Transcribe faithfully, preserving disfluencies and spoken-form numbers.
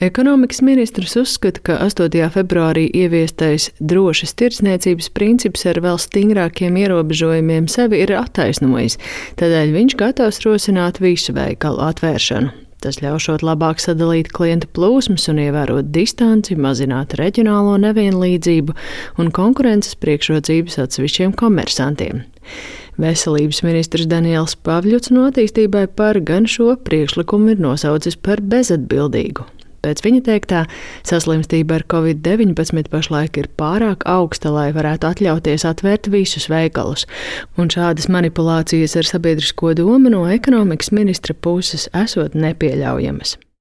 Ekonomikas ministrs uzskata, ka astotajā februārī ieviestais drošas tirdzniecības princips ar vēl stingrākiem ierobežojumiem sevi ir attaisnojis, tādēļ viņš gatavs rosināt visu veikalu atvēršanu. Tas ļaušot labāk sadalīt klientu plūsmas un ievērot distanci, mazināt reģionālo nevienlīdzību un konkurences priekšrocības atsevišķiem komersantiem. Veselības ministrs Daniels Pavļuts no attīstībai par gan šo priekšlikumu ir nosaucis par bezatbildīgu. Pēc viņa teiktā, saslimstība ar covid deviņpadsmit pašlaik ir pārāk augsta, lai varētu atļauties atvērt visus veikalus, un šādas manipulācijas ar sabiedrisko domu no ekonomikas ministra puses esot nepieļaujamas.